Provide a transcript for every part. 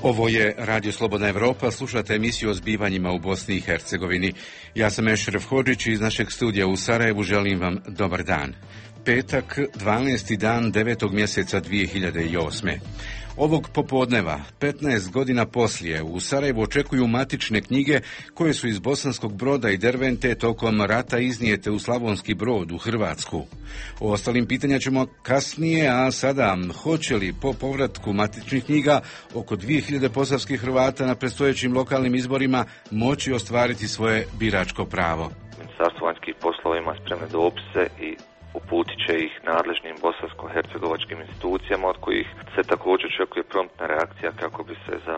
Ovo je Radio Slobodna Evropa, slušate emisiju o zbivanjima u Bosni i Hercegovini. Ja sam Ešref Hodžić i iz našeg studija u Sarajevu želim vam dobar dan. Petak, 12. dan 9. mjeseca 2008. Ovog popodneva, 15 godina poslije, u Sarajevu očekuju matične knjige koje su iz Bosanskog Broda i Dervente tokom rata iznijete u Slavonski Brod u Hrvatsku. O ostalim pitanja ćemo kasnije, a sada hoće li po povratku matičnih knjiga oko 2000 posavskih Hrvata na predstojećim lokalnim izborima moći ostvariti svoje biračko pravo? Ministarstvo vanjskih poslova ima spremne dopise i uputit će ih nadležnim bosansko-hercegovačkim institucijama, od kojih se također očekuje promptna reakcija kako bi se za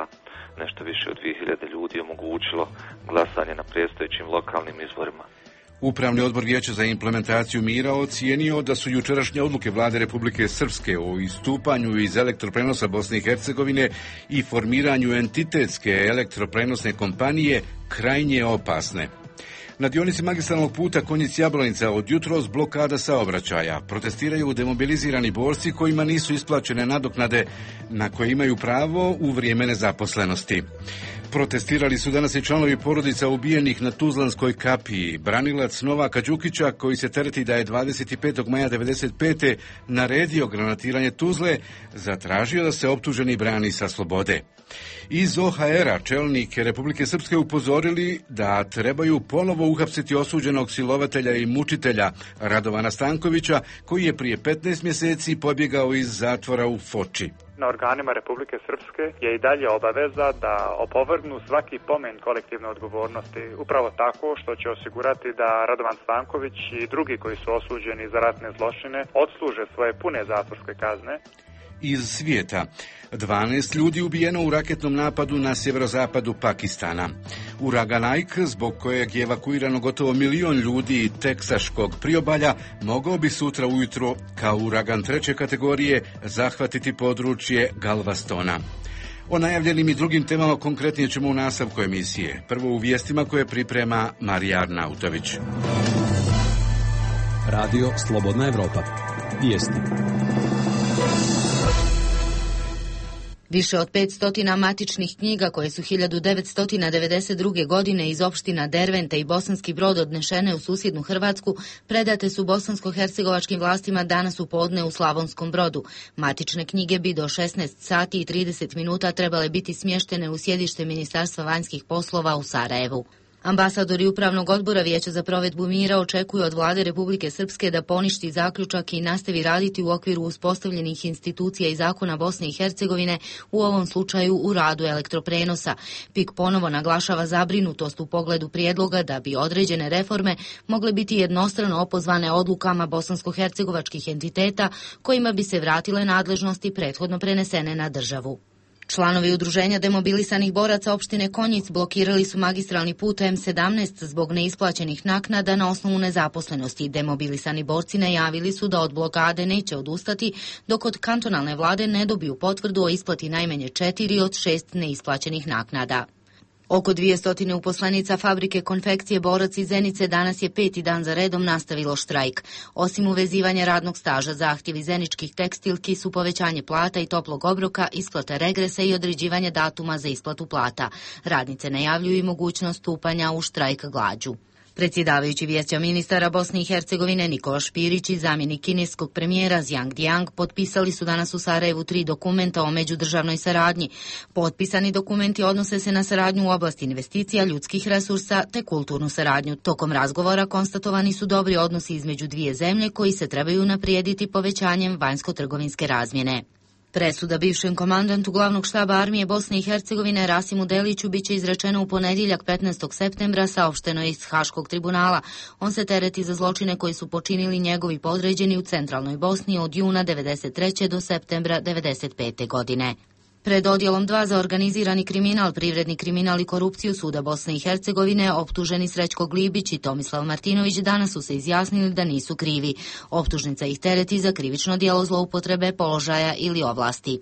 nešto više od 2000 ljudi omogućilo glasanje na predstojećim lokalnim izborima. Upravni odbor Vijeća za implementaciju mira ocijenio da su jučerašnje odluke Vlade Republike Srpske o istupanju iz elektroprenosa Bosne i Hercegovine i formiranju entitetske elektroprenosne kompanije krajnje opasne. Na dionici magistralnog puta Konjic-Jablanica od jutros blokada saobraćaja. Protestiraju demobilizirani borci kojima nisu isplaćene nadoknade na koje imaju pravo u vrijeme nezaposlenosti. Protestirali su danas i članovi porodica ubijenih na Tuzlanskoj kapiji. Branilac Novaka Đukića, koji se tereti da je 25. maja 1995. naredio granatiranje Tuzle, zatražio da se optuženi brani sa slobode. Iz OHR-a čelnike Republike Srpske upozorili da trebaju ponovo uhapsiti osuđenog silovatelja i mučitelja Radovana Stankovića, koji je prije 15 mjeseci pobjegao iz zatvora u Foči. Na organima Republike Srpske je i dalje obaveza da opovrgnu svaki pomen kolektivne odgovornosti, upravo tako što će osigurati da Radovan Stanković i drugi koji su osuđeni za ratne zločine odsluže svoje pune zatvorske kazne. Iz svijeta. 12 ljudi ubijeno u raketnom napadu na sjeverozapadu Pakistana. Uragan Ike, zbog kojeg je evakuirano gotovo 1 milion ljudi teksaškog priobalja, mogao bi sutra ujutro kao uragan 3. kategorije zahvatiti područje Galvestona. O najavljenim i drugim temama konkretnije ćemo u nastavku emisije. Prvo u vijestima koje priprema Marija Arnautović. Radio Slobodna Evropa. Vijesti. Više od 500 matičnih knjiga koje su 1992. godine iz opština Dervente i Bosanski Brod odnešene u susjednu Hrvatsku predate su bosansko-hercegovačkim vlastima danas u podne u Slavonskom Brodu. Matične knjige bi do 16 sati i 30 minuta trebale biti smještene u sjedište Ministarstva vanjskih poslova u Sarajevu. Ambasadori Upravnog odbora Vijeća za provedbu mira očekuju od Vlade Republike Srpske da poništi zaključak i nastavi raditi u okviru uspostavljenih institucija i zakona Bosne i Hercegovine, u ovom slučaju u radu elektroprenosa. PIK ponovo naglašava zabrinutost u pogledu prijedloga da bi određene reforme mogle biti jednostrano opozvane odlukama bosansko-hercegovačkih entiteta kojima bi se vratile nadležnosti prethodno prenesene na državu. Članovi udruženja demobilisanih boraca opštine Konjic blokirali su magistralni put M17 zbog neisplaćenih naknada na osnovu nezaposlenosti. Demobilisani borci najavili su da od blokade neće odustati dok od kantonalne vlade ne dobiju potvrdu o isplati najmanje 4 od 6 neisplaćenih naknada. Oko 200 uposlenica fabrike konfekcije Borac iz Zenice danas je 5. dan za redom nastavilo štrajk. Osim uvezivanja radnog staža, zahtjevi zeničkih tekstilki su povećanje plata i toplog obroka, isplata regresa i određivanje datuma za isplatu plata. Radnice najavljuju i mogućnost stupanja u štrajk glađu. Predsjedavajući Vijeća ministara Bosne i Hercegovine Nikola Špirić i zamjenik kineskog premijera Zhang Diang potpisali su danas u Sarajevu 3 dokumenta o međudržavnoj saradnji. Potpisani dokumenti odnose se na saradnju u oblasti investicija, ljudskih resursa te kulturnu saradnju. Tokom razgovora konstatovani su dobri odnosi između dvije zemlje koji se trebaju unaprijediti povećanjem vanjsko-trgovinske razmjene. Presuda bivšem komandantu glavnog štaba armije Bosne i Hercegovine Rasimu Deliću biće izrečena u ponedjeljak 15. septembra, saopšteno je iz Haškog tribunala. On se tereti za zločine koji su počinili njegovi podređeni u centralnoj Bosni od juna 1993. do septembra 1995. godine. Pred odjelom 2 za organizirani kriminal, privredni kriminal i korupciju Suda Bosne i Hercegovine optuženi Srećko Glibić i Tomislav Martinović danas su se izjasnili da nisu krivi. Optužnica ih tereti za krivično djelo zloupotrebe položaja ili ovlasti.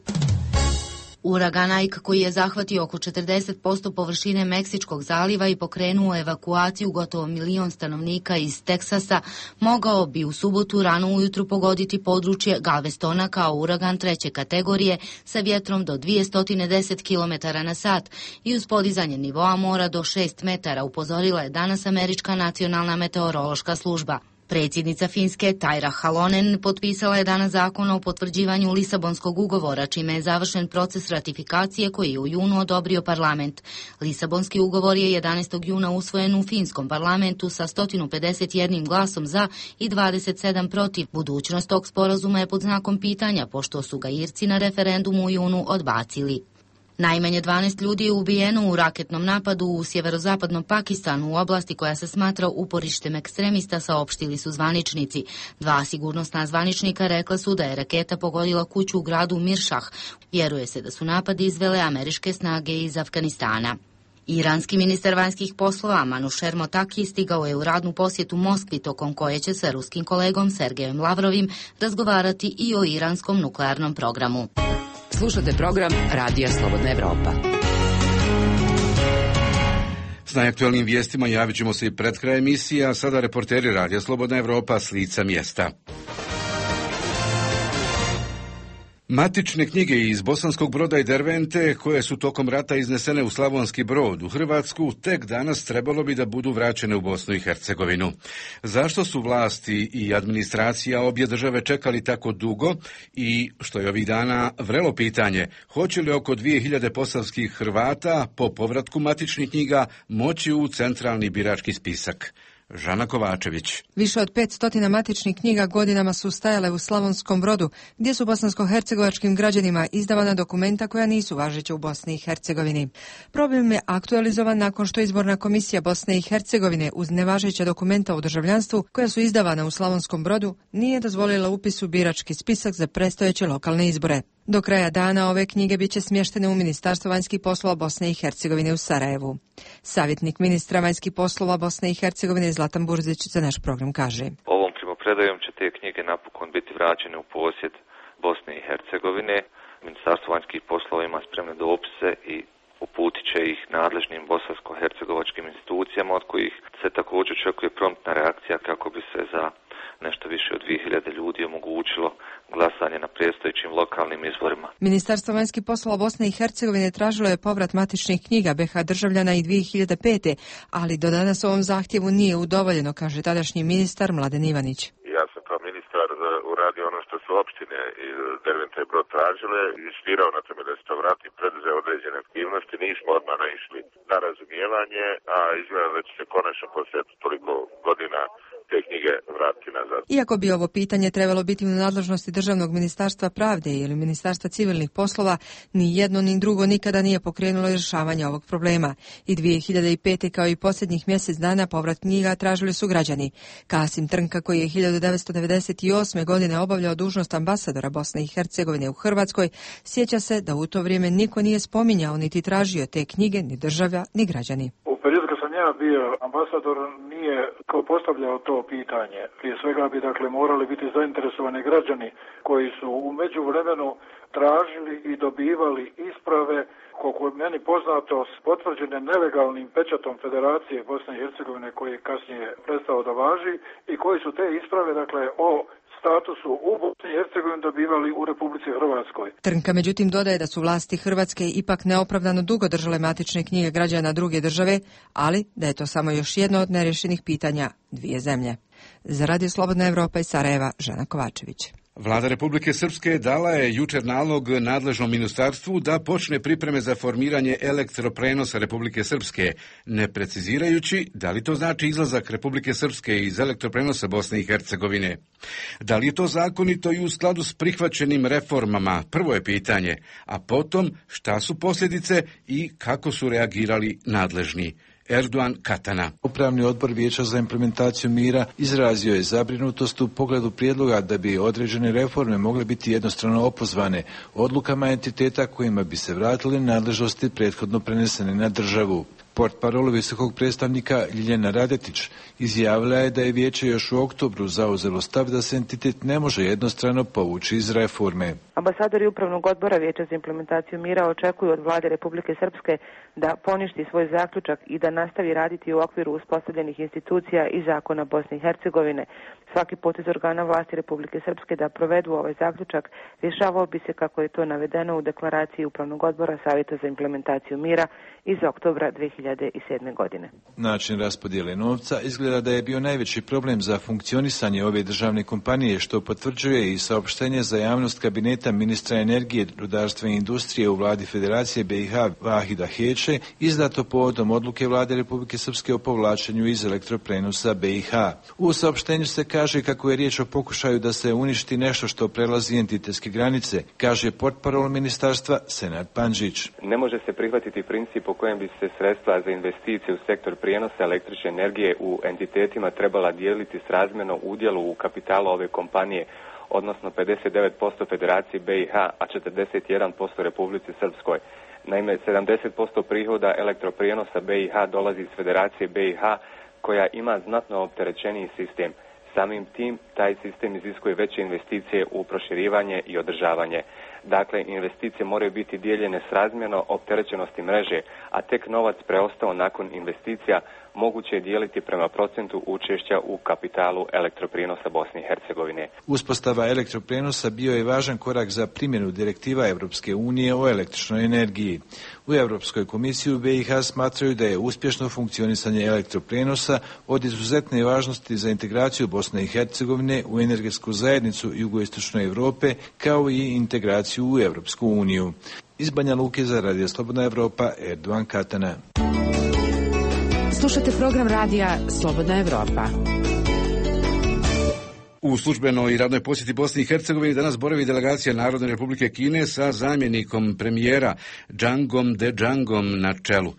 Uragan Ike, koji je zahvatio oko 40% površine Meksičkog zaliva i pokrenuo evakuaciju gotovo 1 milion stanovnika iz Teksasa, mogao bi u subotu rano ujutru pogoditi područje Galvestona kao uragan 3. kategorije sa vjetrom do 210 km na sat i uz podizanje nivoa mora do 6 metara, upozorila je danas Američka nacionalna meteorološka služba. Predsjednica Finske Tarja Halonen potpisala je danas zakon o potvrđivanju Lisabonskog ugovora, čime je završen proces ratifikacije koji je u junu odobrio parlament. Lisabonski ugovor je 11. juna usvojen u finskom parlamentu sa 151 glasom za i 27 protiv. Budućnost tog sporazuma je pod znakom pitanja, pošto su ga Irci na referendumu u junu odbacili. Najmanje 12 ljudi je ubijeno u raketnom napadu u sjeverozapadnom Pakistanu u oblasti koja se smatra uporištem ekstremista, saopštili su zvaničnici. 2 sigurnosna zvaničnika rekla su da je raketa pogodila kuću u gradu Miršah. Vjeruje se da su napadi izvele američke snage iz Afganistana. Iranski ministar vanjskih poslova Manusher Motaki stigao je u radnu posjetu Moskvi, tokom koje će sa ruskim kolegom Sergejem Lavrovim razgovarati i o iranskom nuklearnom programu. Slušate program Radija Slobodna Evropa. S najaktualnim vijestima javit ćemo se i pred kraj emisije, a sada reporteri Radija Slobodna Evropa s lica mjesta. Matične knjige iz Bosanskog Broda i Dervente, koje su tokom rata iznesene u Slavonski Brod u Hrvatsku, tek danas trebalo bi da budu vraćene u Bosnu i Hercegovinu. Zašto su vlasti i administracija obje države čekali tako dugo i, što je ovih dana vrelo pitanje, hoće li oko 2000 posavskih Hrvata po povratku matičnih knjiga moći u centralni birački spisak? Žana Kovačević. Više od 500 matičnih knjiga godinama su stajale u Slavonskom Brodu, gdje su bosansko-hercegovačkim građanima izdavana dokumenta koja nisu važeća u Bosni i Hercegovini. Problem je aktualizovan nakon što izborna komisija Bosne i Hercegovine uz nevažeća dokumenta o državljanstvu koja su izdavana u Slavonskom Brodu nije dozvolila upis u birački spisak za predstojeće lokalne izbore. Do kraja dana ove knjige bit će smještene u Ministarstvo vanjskih poslova Bosne i Hercegovine u Sarajevu. Savjetnik ministra vanjskih poslova Bosne i Hercegovine Zlatan Burzić za naš program kaže: Ovom primopredajom će te knjige napokon biti vraćene u posjed Bosne i Hercegovine. Ministarstvo vanjskih poslova ima spremne dopise i uputit će ih nadležnim bosansko-hercegovačkim institucijama, od kojih se također očekuje promptna reakcija kako bi se za nešto više od 2000 ljudi omogućilo glasanje na predstojećim lokalnim izborima. Ministarstvo vanjskih poslova Bosne i Hercegovine tražilo je povrat matičnih knjiga BiH državljana i 2005. ali do danas ovom zahtjevu nije udovoljeno, kaže tadašnji ministar Mladen Ivanić. Ja sam kao ministar uradio ono što su opštine iz Derventa i Brod tražile, insistirao na tome da se to vrati, preduzeo određene aktivnosti, nismo odmah naišli na razumijevanje, a izgleda da će se konačno poslije toliko godina te knjige vratiti nazad. Iako bi ovo pitanje trebalo biti u nadležnosti Državnog ministarstva pravde ili Ministarstva civilnih poslova, ni jedno ni drugo nikada nije pokrenulo rješavanje ovog problema. I 2005. kao i posljednjih mjesec dana povrat knjiga tražili su građani. Kasim Trnka, koji je 1998. godine obavljao dužnost ambasadora Bosne i Hercegovine u Hrvatskoj, sjeća se da u to vrijeme niko nije spominjao niti tražio te knjige, ni država, ni građani. Ja bio ambasador, nije kao postavljao to pitanje. Prije svega bi morali biti zainteresovani građani koji su u međuvremenu tražili i dobivali isprave, koliko je meni poznato, potvrđene nelegalnim pečatom Federacije Bosne i Hercegovine, koji je kasnije prestao da važi, i koji su te isprave o statusu u Bosni i Hercegovini dobivali u Republici Hrvatskoj. Trnka međutim dodaje da su vlasti Hrvatske ipak neopravdano dugo držale matične knjige građana druge države, ali da je to samo još jedno od nerješenih pitanja dvije zemlje. Za Radio Slobodna Evropa iz Sarajeva, Žana Kovačević. Vlada Republike Srpske dala je jučer nalog nadležnom ministarstvu da počne pripreme za formiranje elektroprenosa Republike Srpske, ne precizirajući da li to znači izlazak Republike Srpske iz elektroprenosa Bosne i Hercegovine. Da li je to zakonito i u skladu s prihvaćenim reformama, prvo je pitanje, a potom šta su posljedice i kako su reagirali nadležni. Erdogan Katana. Upravni odbor Vijeća za implementaciju mira izrazio je zabrinutost u pogledu prijedloga da bi određene reforme mogle biti jednostrano opozvane odlukama entiteta kojima bi se vratili nadležnosti prethodno prenesene na državu. Portparol visokog predstavnika Ljiljana Radetić izjavila je da je vijeće još u oktobru zauzelo stav da se entitet ne može jednostrano povući iz reforme. Ambasadori Upravnog odbora Vijeća za implementaciju mira očekuju od vlade Republike Srpske da poništi svoj zaključak i da nastavi raditi u okviru uspostavljenih institucija i zakona Bosne i Hercegovine. Svaki potez organa vlasti Republike Srpske da provedu ovaj zaključak rješavao bi se kako je to navedeno u deklaraciji Upravnog odbora Savjeta za implementaciju mira iz oktobra 2007. godine. Način raspodjele novca izgleda da je bio najveći problem za funkcionisanje ove državne kompanije, što potvrđuje i saopštenje za javnost kabineta ministra energije, rudarstva i industrije u vladi Federacije BiH Vahida Heče, izdato povodom odluke vlade Republike Srpske o povlačenju iz elektroprenosa BiH. U saopštenju se kaže kako je riječ o pokušaju da se uništi nešto što prelazi entitetske granice, kaže portparol ministarstva Senad Pandžić. Ne može se prihvatiti princip po kojem bi se sredstva za investicije u sektor prijenosa električne energije u entitetima trebala dijeliti srazmjerno udjelu u kapitalu ove kompanije, odnosno 59% Federaciji BiH, a 41% Republici Srpskoj. Naime, 70% prihoda elektroprijenosa BiH dolazi iz Federacije BiH, koja ima znatno opterećeniji sistem. Samim tim, taj sistem iziskuje veće investicije u proširivanje i održavanje. Dakle, investicije moraju biti dijeljene srazmjerno opterećenosti mreže, a tek novac preostao nakon investicija moguće je dijeliti prema procentu učešća u kapitalu elektroprijenosa Bosne i Hercegovine. Uspostava elektroprijenosa bio je važan korak za primjenu direktiva Europske unije o električnoj energiji. U Europskoj komisiji u BiH smatraju da je uspješno funkcionisanje elektroprijenosa od izuzetne važnosti za integraciju Bosne i Hercegovine u energetsku zajednicu jugoistočne Europe, kao i integraciju u Europsku uniju. Iz Banja Luke za Radio Slobodna Evropa, Erdogan Katana. Slušate program radija Slobodna Evropa. U službenoj i radnoj posjeti Bosni i Hercegovini danas boravi delegacija Narodne Republike Kine sa zamjenikom premijera Džangom De Džangom na čelu.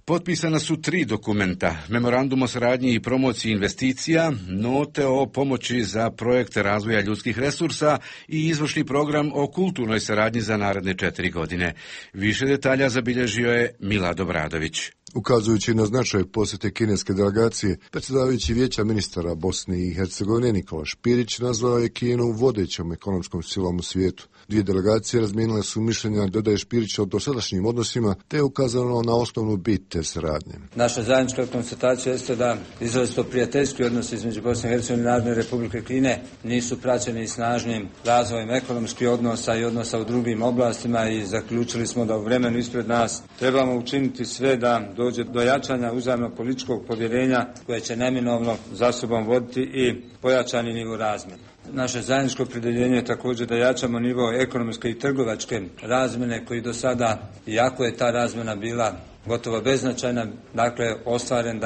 Potpisana su 3 dokumenta: memorandum o saradnji i promociji investicija, note o pomoći za projekte razvoja ljudskih resursa i izvršni program o kulturnoj saradnji za naredne 4 godine. Više detalja zabilježio je Milad Obradović. Ukazujući na značaj posjete kineske delegacije, predsjedavajući Vijeća ministara Bosne i Hercegovine Nikola Špirić nazvao je Kinu vodećom ekonomskom silom u svijetu. 2 delegacije razmijenile su mišljenja, dodaje Špirić, o dosadašnjim odnosima, te je ukazano na osnovnu bit te saradnje. Naša zajednička konstatacija jeste da izrazito prijateljski odnosi između Bosne i Hercegovine i Narodne Republike Kine nisu praćeni snažnim razvojem ekonomskih odnosa i odnosa u drugim oblastima i zaključili smo da u vremenu ispred nas trebamo učiniti sve da dođe do jačanja uzajamnog političkog povjerenja koje će neminovno za sobom voditi i pojačani nivo razmjene. Naše zajedničko opredjeljenje je također da jačamo nivo ekonomske i trgovačke razmjene koji do sada, iako je ta razmjena bila gotovo beznačajna, ostvaren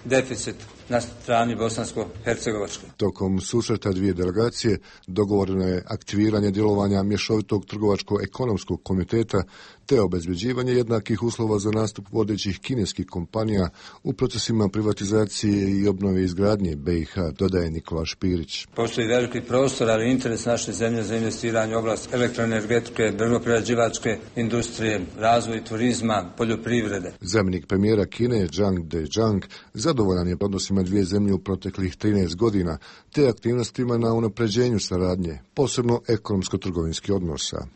deficit na strani bosansko-hercegovačke. Tokom susreta 2 delegacije dogovoreno je aktiviranje djelovanja mješovitog trgovačko-ekonomskog komiteta te obezbeđivanje jednakih uslova za nastup vodećih kineskih kompanija u procesima privatizacije i obnove izgradnje BiH, dodaje Nikola Špirić. Postoji veliki prostor, ali interes naše zemlje za investiranje u oblast elektroenergetike, drvnoprerađivačke industrije, razvoj turizma, poljoprivrede. Zamjenik premijera Kine Džang De Džang zadovoljan je odnosima 2 zemlje u proteklih 13 godina te aktivnostima na unapređenju saradnje, posebno ekonomsko-trgovinskih odnosa.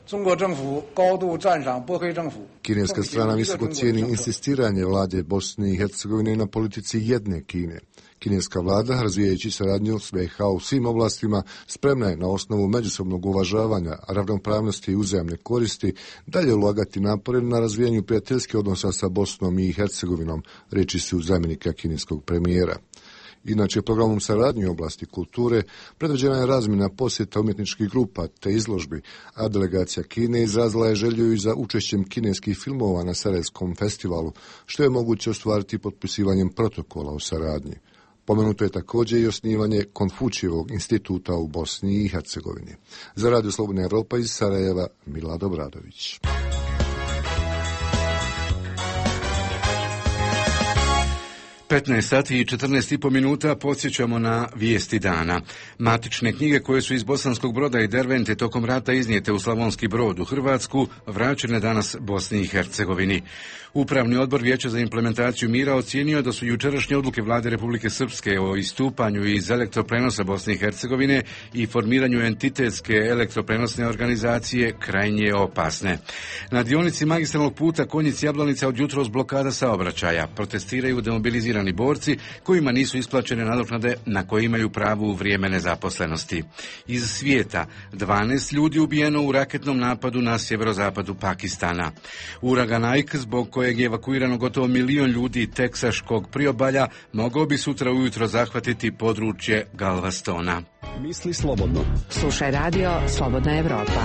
Kineska strana visoko cijeni insistiranje vlade Bosne i Hercegovine na politici jedne Kine. Kineska vlada, razvijajući saradnju s BiH u svim oblastima, spremna je na osnovu međusobnog uvažavanja, ravnopravnosti i uzajamne koristi dalje ulagati napore na razvijanju prijateljskih odnosa sa Bosnom i Hercegovinom, reči su zamjenika kineskog premijera. Inače, programom saradnje u oblasti kulture predviđena je razmjena posjeta umjetničkih grupa te izložbi, a delegacija Kine izrazila je želju i za učešćem kineskih filmova na Sarajevskom festivalu, što je moguće ostvariti potpisivanjem protokola o saradnji. Pomenuto je također i osnivanje Konfučijevog instituta u Bosni i Hercegovini. Za Radio Slobodna Evropa iz Sarajeva, Milad Obradović. 15 sati i 14,5 minuta podsjećamo na vijesti dana. Matične knjige koje su iz Bosanskog Broda i Dervente tokom rata iznijete u Slavonski Brod u Hrvatsku vraćene danas Bosni i Hercegovini. Upravni odbor Vijeća za implementaciju mira ocijenio da su jučerašnje odluke vlade Republike Srpske o istupanju iz elektroprenosa Bosne i Hercegovine i formiranju entitetske elektroprenosne organizacije krajnje opasne. Na dionici magistralnog puta Konjic-Jablanica od jutros blokada saobraćaja. Protestiraju demobilizirani borci kojima nisu isplaćene nadoknade na koje imaju pravo u vrijeme nezaposlenosti. Iz svijeta 12 ljudi ubijeno u raketnom napadu na sjeverozapadu Pakistana. Uragan Ike, zbog kojeg je evakuirano gotovo 1 milion ljudi teksaškog priobalja, mogao bi sutra ujutro zahvatiti područje Galvestona. Misli slobodno. Slušaj radio Slobodna Evropa.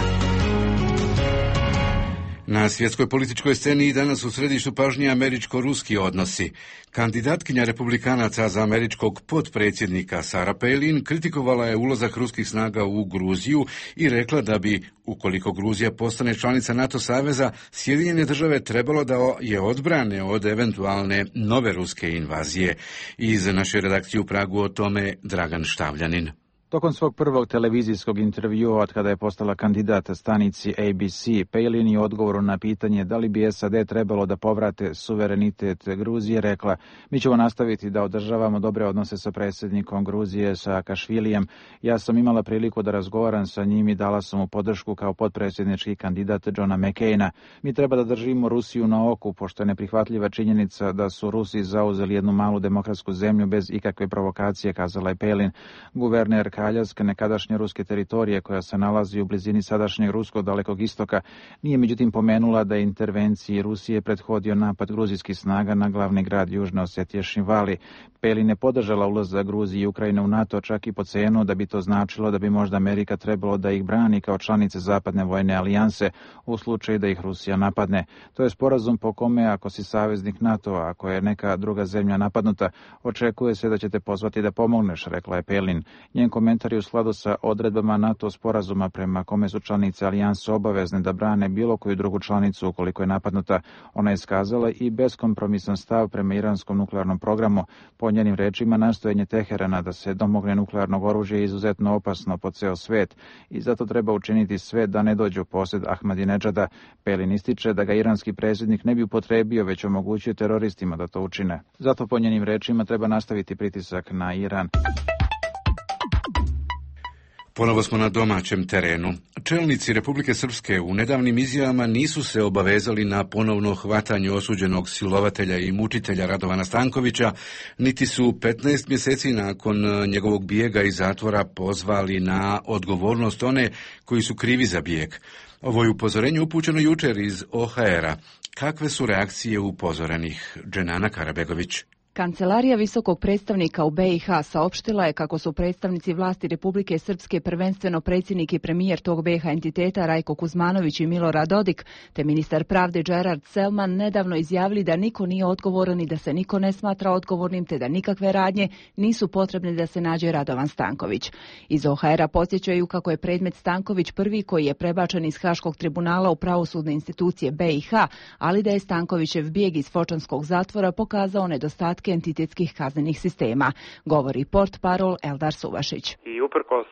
Na svjetskoj političkoj sceni i danas u središtu pažnje američko-ruski odnosi. Kandidatkinja republikanaca za američkog potpredsjednika Sarah Palin kritikovala je ulazak ruskih snaga u Gruziju i rekla da bi, ukoliko Gruzija postane članica NATO saveza, Sjedinjene države trebalo da je odbrane od eventualne nove ruske invazije. Iz naše redakcije u Pragu o tome Dragan Štavljanin. Tokom svog prvog televizijskog intervjua od kada je postala kandidat stanici ABC, Palin je u odgovoru na pitanje da li bi SAD trebalo da povrate suverenitet Gruzije rekla: mi ćemo nastaviti da održavamo dobre odnose sa predsjednikom Gruzije Saakašvilijem. Ja sam imala priliku da razgovaram sa njim i dala sam mu podršku kao potpredsjednički kandidat Johna McCaina. Mi treba da držimo Rusiju na oku, pošto je neprihvatljiva činjenica da su Rusi zauzeli jednu malu demokratsku zemlju bez ikakve provokacije, kazala je Palin. Guverner Aljaske, nekadašnje ruske teritorije koja se nalazi u blizini sadašnjeg ruskog Dalekog istoka, nije međutim pomenula da je intervenciji Rusije prethodio napad gruzijskih snaga na glavni grad Južne Osetije Šinvali. Palin je podržala ulazak Gruzije i Ukrajine u NATO čak i po cenu da bi to značilo da bi možda Amerika trebalo da ih brani kao članice zapadne vojne alijanse u slučaju da ih Rusija napadne. To je sporazum po kome ako si saveznik NATO-a, ako je neka druga zemlja napadnuta, očekuje se da će te pozvati da pomogneš, rekla je Palin. Njen komentar je u skladu sa odredbama NATO sporazuma prema kome su članice alijanse obavezne da brane bilo koju drugu članicu ukoliko je napadnuta. Ona je iskazala i beskompromisan stav prema iranskom nuklearnom programu. Po njenim rečima, nastojanje Teherana da se domogne nuklearnog oružja je izuzetno opasno po ceo svet i zato treba učiniti sve da ne dođe u posjed Ahmadinedžada. Palin ističe da ga iranski predsjednik ne bi upotrebio, već omogućio teroristima da to učine. Zato po njenim rečima treba nastaviti pritisak na Iran. Ponovo smo na domaćem terenu. Čelnici Republike Srpske u nedavnim izjavama nisu se obavezali na ponovno hvatanje osuđenog silovatelja i mučitelja Radovana Stankovića, niti su 15 mjeseci nakon njegovog bijega iz zatvora pozvali na odgovornost one koji su krivi za bijeg. Ovo je upozorenje upućeno jučer iz OHR-a. Kakve su reakcije upozorenih? Dženana Karabegović. Kancelarija visokog predstavnika u BiH saopštila je kako su predstavnici vlasti Republike Srpske, prvenstveno predsjednik i premijer tog BiH entiteta Rajko Kuzmanović i Milorad Dodik, te ministar pravde Gerard Selman nedavno izjavili da niko nije odgovoran i da se niko ne smatra odgovornim, te da nikakve radnje nisu potrebne da se nađe Radovan Stanković. Iz OHR-a podsjećaju kako je predmet Stanković prvi koji je prebačen iz Haškog tribunala u pravosudne institucije BiH, ali da je Stankovićev bijeg iz Fočanskog zatvora pokazao nedostatke entitetskih kaznenih sistema, govori portparol Eldar Suvašić. I uprkos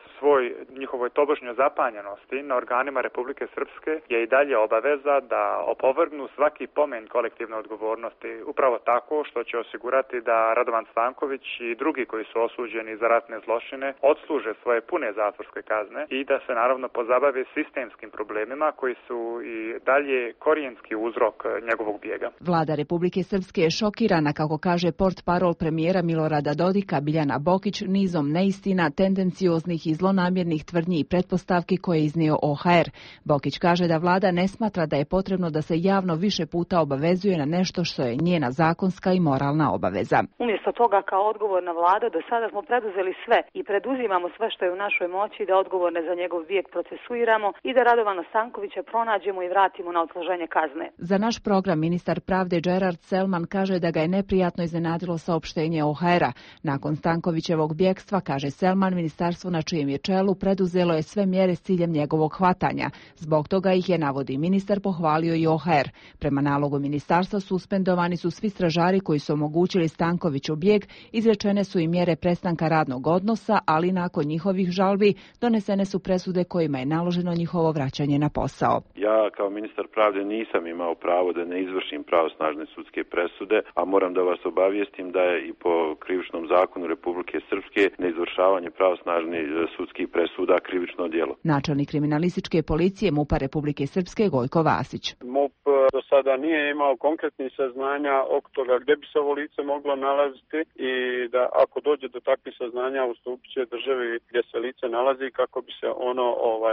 njihovoj tobožnjoj zapanjenosti na organima Republike Srpske je i dalje obaveza da opovrgnu svaki pomen kolektivne odgovornosti, upravo tako što će osigurati da Radovan Stanković i drugi koji su osuđeni za ratne zločine odsluže svoje pune zatvorske kazne i da se naravno pozabave sistemskim problemima koji su i dalje korijenski uzrok njegovog bijega. Vlada Republike Srpske je šokirana, kako kaže portparol premijera Milorada Dodika Biljana Bokić, nizom neistina, tendencioznih i zlonamjernih tvrdnji i pretpostavki koje je iznio OHR. Bokić kaže da vlada ne smatra da je potrebno da se javno više puta obavezuje na nešto što je njena zakonska i moralna obaveza. Umjesto toga, kao odgovorna vlada, do sada smo preduzeli sve i preduzimamo sve što je u našoj moći da odgovorne za njegov bijeg procesuiramo i da Radovana Stankovića pronađemo i vratimo na odsluženje kazne. Za naš program ministar pravde Gerard Selman kaže da ga je neprijatno iznenadilo saopštenje OHR-a. Nakon Stankovićevog bjegstva, kaže Selman, ministarstvo na čijem je čelu preduzelo je sve mjere s ciljem njegovog hvatanja. Zbog toga ih je, navodi ministar, pohvalio i OHR. Prema nalogu ministarstva suspendovani su svi stražari koji su omogućili Stankoviću bijeg, izrečene su i mjere prestanka radnog odnosa, ali nakon njihovih žalbi donesene su presude kojima je naloženo njihovo vraćanje na posao. Ja kao ministar pravde nisam imao pravo da ne izvršim pravosnažne sudske presude, a moram da vas obavijestim da je i po krivičnom zakonu Republike Srpske neizvršavanje pravosnažnih sudskih presuda krivično djelo. Načelnik kriminalističke policije MUP-a Republike Srpske Gojko Vasić. MUP do sada nije imao konkretnih saznanja oko toga gdje bi se ovo lice moglo nalaziti i da ako dođe do takvih saznanja ustupit će državi gdje se lice nalazi kako bi se ono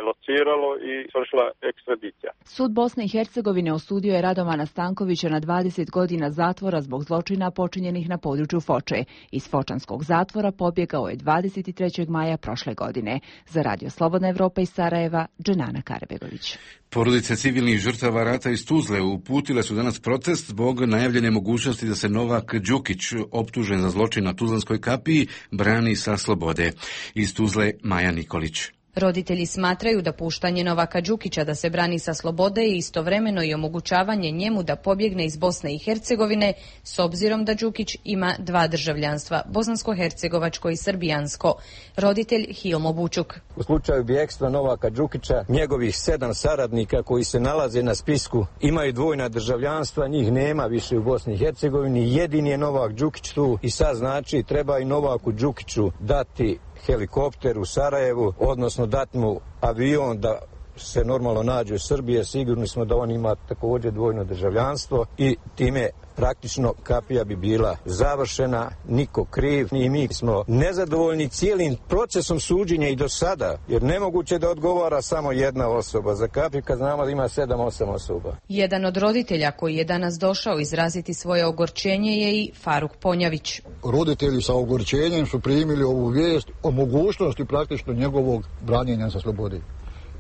lociralo i svršila ekstradicija. Sud Bosne i Hercegovine osudio je Radovana Stankovića na 20 godina zatvora zbog zločina počinjenih na području Foče. Iz fočanskog zatvora pobjegao je 23. maja prošle godine. Za Radio Slobodna Evropa iz Sarajeva, Dženana Karabegović. Porodice civilnih žrtava rata iz Tuzle uputile su danas protest zbog najavljene mogućnosti da se Novak Đukić, optužen za zločin na Tuzlanskoj kapiji, brani sa slobode. Iz Tuzle Maja Nikolić. Roditelji smatraju da puštanje Novaka Đukića da se brani sa slobode je istovremeno i omogućavanje njemu da pobjegne iz Bosne i Hercegovine, s obzirom da Đukić ima 2 državljanstva, bosansko-hercegovačko i srbijansko. Roditelj Hilmo Bučuk. U slučaju bijegstva Novaka Đukića, njegovih 7 saradnika koji se nalaze na spisku imaju dvojna državljanstva, njih nema više u Bosni i Hercegovini, jedini je Novak Đukić tu i sad znači treba i Novaku Đukiću dati helikopter u Sarajevu, odnosno dati mu avion da se normalno nađe u Srbiji. Sigurni smo da on ima također dvojno državljanstvo i time praktično kapija bi bila završena, niko kriv i mi smo nezadovoljni cijelim procesom suđenja i do sada, jer nemoguće da odgovara samo jedna osoba. Za kapiju kad znamo da ima 7-8 osoba. Jedan od roditelja koji je danas došao izraziti svoje ogorčenje je i Faruk Ponjavić. Roditelji sa ogorčenjem su primili ovu vijest o mogućnosti praktično njegovog branjenja sa slobode.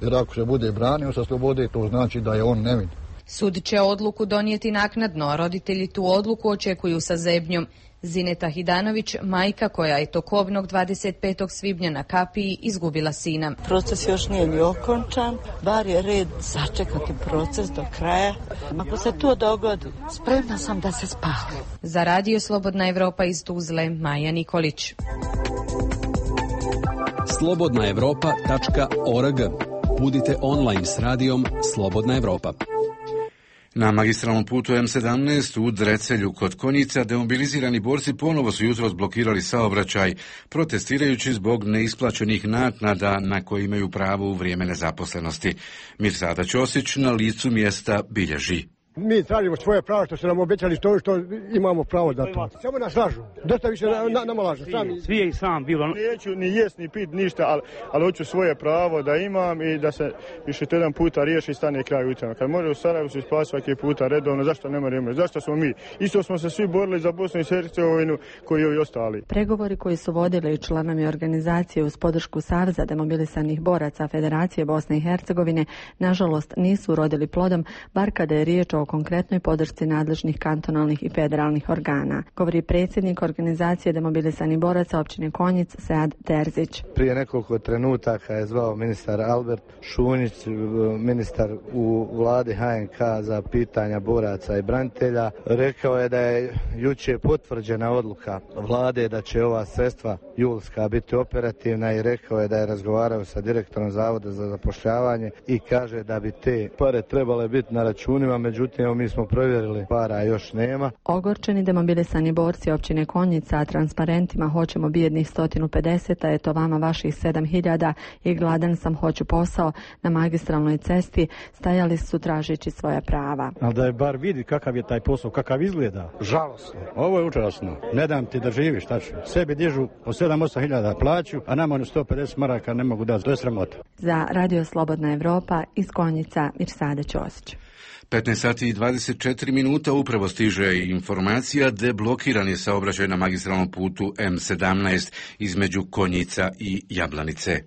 Jer ako se bude branio sa slobode, to znači da je on nevin. Sud će odluku donijeti naknadno, a roditelji tu odluku očekuju sa zebnjom. Zineta Hidanović, majka koja je tokobnog 25. svibnja na kapiji izgubila sina. Proces još nije ni okončan, bar je red sačekati proces do kraja. Ako se to dogodi, spremna sam da se spali. Za Radio Slobodna Evropa iz Tuzle, Maja Nikolić. slobodnaevropa.org. Budite online s radijom Slobodna Evropa. Na magistralnom putu M17 u Drecelju kod Konjica demobilizirani borci ponovo su jutros blokirali saobraćaj, protestirajući zbog neisplaćenih naknada na koje imaju pravo u vrijeme nezaposlenosti. Mirsada Ćosić na licu mjesta bilježi. Mi tražimo svoje pravo što su nam obećali što imamo pravo da to. Samo nas lažu. Dosta više nama lažu. Svi je i sam bilo. Neću ni jest ni pit ništa, ali hoću svoje pravo da imam i da se više to jedan puta riješi i stane kraj u tome. Kad može u Sarajevu se isplatiti svaki puta redovno, zašto ne moramo? Zašto smo mi? Isto smo se svi borili za Bosnu i Hercegovinu koji i ostali. Pregovori koji su vodili članovi organizacije uz podršku Saveza demobilisanih boraca Federacije Bosne i Hercegovine nažalost nisu urodili plodom, bar kada je riječ o konkretnoj podršci nadležnih kantonalnih i federalnih organa, govori predsjednik organizacije demobilisanih boraca općine Konjic Sead Terzić. Prije nekoliko trenutaka je zvao ministar Albert Šunjić, ministar u vladi HNK za pitanja boraca i branitelja. Rekao je da je jučer potvrđena odluka vlade da će ova sredstva julska biti operativna i rekao je da je razgovarao sa direktorom Zavoda za zapošljavanje i kaže da bi te pare trebale biti na računima, međutim mi smo provjerili, para još nema. Ogorčeni demobilisani borci općine Konjica transparentima hoćemo bijednih 150, a eto vama vaših 7000 i gladan sam, hoću posao na magistralnoj cesti stajali su tražeći svoja prava. Ali da je bar vidi kakav je taj posao, kakav izgleda. Žalosno. Ovo je užasno. Ne dam ti da živiš, šta ću. Sebi dižu po 7-8 hiljada plaću, a nama 150 maraka ne mogu dati. To je sramota. Za Radio Slobodna Evropa iz Konjica Mirsada Ćosić. 15 sati i 24 minuta upravo stiže informacija deblokiran je saobraćaj na magistralnom putu M17 između Konjica i Jablanice.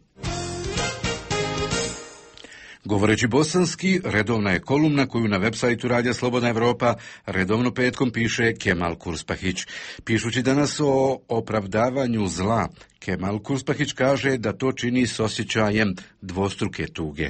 Govoreći bosanski, redovna je kolumna koju na web sajtu Radija Slobodna Evropa redovno petkom piše Kemal Kurspahić. Pišući danas o opravdavanju zla, Kemal Kurspahić kaže da to čini s osjećajem dvostruke tuge.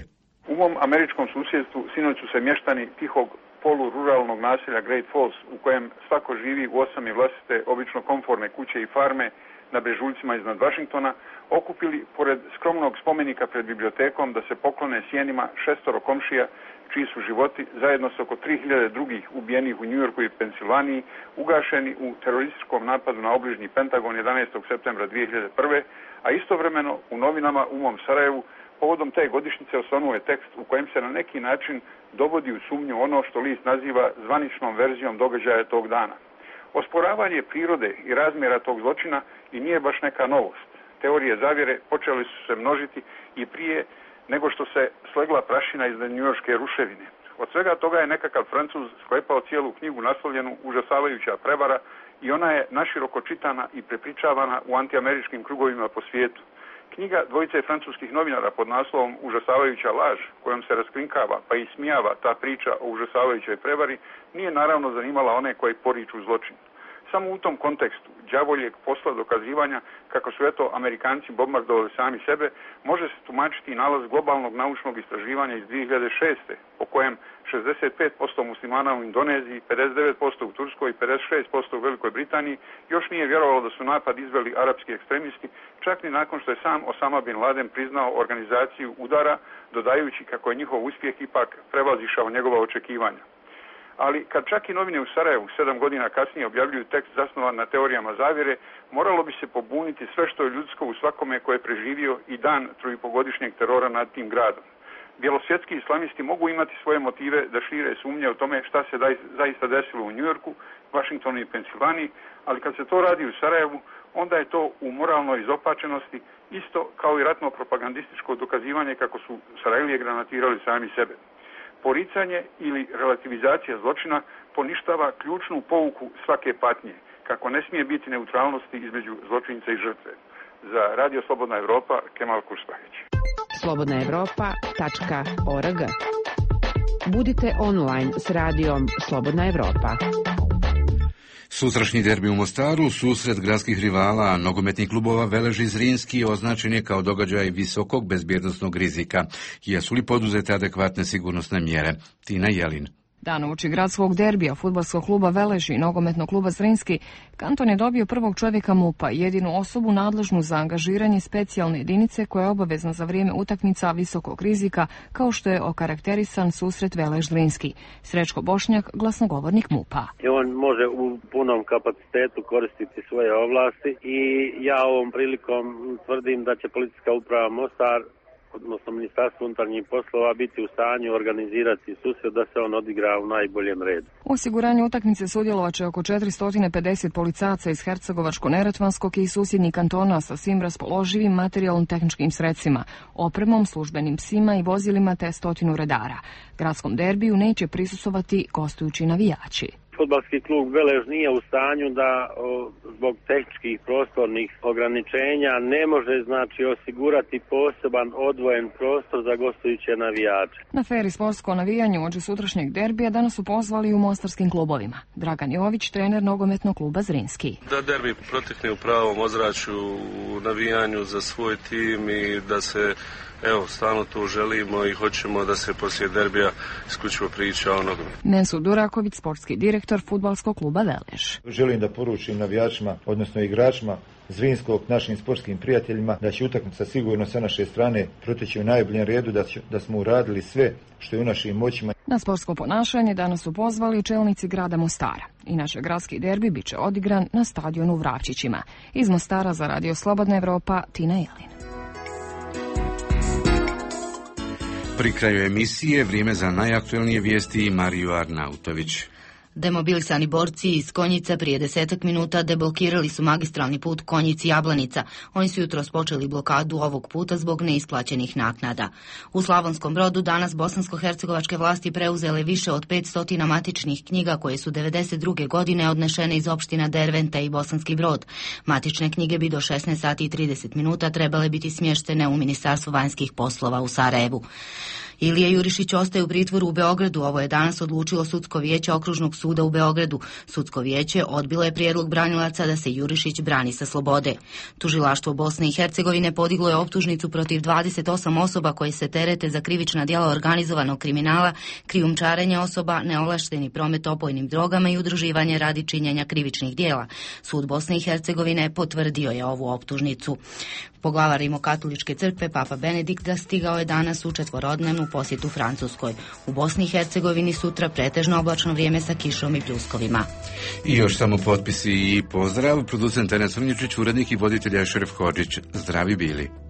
U mom američkom susjedstvu sinoć su se mještani tihog polururalnog naselja Great Falls, u kojem svako živi u osami vlastite, obično komforne kuće i farme na brežuljcima iznad Vašingtona, okupili pored skromnog spomenika pred bibliotekom da se poklone sjenima 6 komšija čiji su životi zajedno s oko 3000 drugih ubijenih u Njujorku i Pensilvaniji ugašeni u terorističkom napadu na obližnji Pentagon 11. septembra 2001. A istovremeno u novinama u mom Sarajevu povodom te godišnjice osvanuo je tekst u kojem se na neki način dovodi u sumnju ono što list naziva zvaničnom verzijom događaja tog dana. Osporavanje prirode i razmjera tog zločina i nije baš neka novost. Teorije zavjere počeli su se množiti i prije nego što se slegla prašina iznad njujorške ruševine. Od svega toga je nekakav Francuz sklepao cijelu knjigu naslovljenu Užasavajuća prevara i ona je naširoko čitana i prepričavana u antiameričkim krugovima po svijetu. Knjiga dvojice francuskih novinara pod naslovom Užasavajuća laž, kojom se raskrinkava pa i smijava ta priča o užasavajućoj prevari, nije naravno zanimala one koji poriču zločin. Samo u tom kontekstu đavoljeg posla dokazivanja kako su Amerikanci bombardovali sami sebe, može se tumačiti i nalaz globalnog naučnog istraživanja iz 2006. po kojem 65% muslimana u Indoneziji, 59% u Turskoj i 56% u Velikoj Britaniji još nije vjerovalo da su napad izveli arapski ekstremisti, čak ni nakon što je sam Osama bin Laden priznao organizaciju udara, dodajući kako je njihov uspjeh ipak prevazišao njegova očekivanja. Ali kad čak i novine u Sarajevu 7 godina kasnije objavljuju tekst zasnovan na teorijama zavjere, moralo bi se pobuniti sve što je ljudsko u svakome ko je preživio i dan 3,5-godišnjeg terora nad tim gradom. Bjelosvjetski islamisti mogu imati svoje motive da šire sumnje o tome šta se zaista desilo u Njujorku, Vašingtonu i Pensilvaniji, ali kad se to radi u Sarajevu, onda je to u moralnoj izopačenosti isto kao i ratno propagandističko dokazivanje kako su Sarajlije granatirali sami sebe. Poricanje ili relativizacija zločina poništava ključnu pouku svake patnje, kako ne smije biti neutralnosti između zločinca i žrtve. Za Radio Slobodna Evropa, Kemal Kurspahić. slobodnaevropa.org. Budite online s radijom Slobodna Evropa. Sutrašnji derbi u Mostaru, susret gradskih rivala nogometnih klubova Velež i Zrinski, označen je kao događaj visokog bezbjednosnog rizika. Jesu li poduzete adekvatne sigurnosne mjere? Tina Jelin. Dan uoči gradskog derbija fudbalskog kluba Velež i nogometnog kluba Zrinski, kanton je dobio prvog čovjeka MUP-a, jedinu osobu nadležnu za angažiranje specijalne jedinice koja je obavezna za vrijeme utakmica visokog rizika, kao što je okarakterisan susret Velež Zrinski. Srećko Bošnjak, glasnogovornik MUP-a. On može u punom kapacitetu koristiti svoje ovlasti i ja ovom prilikom tvrdim da će policijska uprava Mostar, odnosno Ministarstvo unutarnjih poslova, biti u stanju organizirati susret da se on odigra u najboljem redu. U osiguranju utakmice sudjelovaće oko 450 policajaca iz Hercegovačko-Neretvanskog i susjednih kantona sa svim raspoloživim materijalno-tehničkim sredstvima, opremom, službenim psima i vozilima te 100 redara. Gradskom derbiju neće prisustvovati gostujući navijači. Fudbalski klub Velež nije u stanju da zbog tehničkih prostornih ograničenja ne može osigurati poseban odvojen prostor za gostujuće navijače. Na fer i sportsko navijanje uoči sutrašnjeg derbija danas su pozvali i u mostarskim klubovima. Dragan Jović, trener nogometnog kluba Zrinski. Da derbi protekne u pravom ozračju, u navijanju za svoj tim i da se stalno to želimo i hoćemo da se poslije derbija isključivo priča o nogometu. Mensur Duraković, sportski direktor fudbalskog kluba Velež. Želim da poručim navijačima, odnosno igračima Zrinskog, našim sportskim prijateljima, da će utakmica sigurno sa naše strane proteći u najboljem redu, da smo uradili sve što je u našim moćima. Na sportsko ponašanje danas su pozvali čelnici grada Mostara. Inače, gradski derbi bit će odigran na stadionu u Vravčićima. Iz Mostara za Radio Slobodna Evropa, Tina Jelin. Pri kraju emisije vrijeme za najaktuelnije vijesti Mariju Arnautović. Demobilisani borci iz Konjica prije 10 minuta deblokirali su magistralni put Konjic-Jablanica. Oni su jutros počeli blokadu ovog puta zbog neisplaćenih naknada. U Slavonskom Brodu danas bosansko-hercegovačke vlasti preuzele više od 500 matičnih knjiga koje su 1992. godine odnešene iz opština Dervente i Bosanski Brod. Matične knjige bi do 16 sati i 30 minuta trebale biti smještene u Ministarstvu vanjskih poslova u Sarajevu. Ilija Jurišić ostaje u pritvoru u Beogradu. Ovo je danas odlučilo Sudsko vijeće Okružnog suda u Beogradu. Sudsko vijeće odbilo je prijedlog branilaca da se Jurišić brani sa slobode. Tužilaštvo Bosne i Hercegovine podiglo je optužnicu protiv 28 osoba koje se terete za krivična djela organizovanog kriminala, krijumčarenja osoba, neovlašteni promet opojnim drogama i udruživanje radi činjenja krivičnih djela. Sud Bosne i Hercegovine potvrdio je ovu optužnicu. Poglavar Rimokatoličke crkve Papa Benedikt stigao je danas u četvorodnevnu posjetu Francuskoj. U Bosni i Hercegovini sutra pretežno oblačno vrijeme sa kišom i pljuskovima. I još samo potpisi i pozdrav. Producent Enes Vrnjičić, urednik i voditelj Šeref Hodžić. Zdravi bili.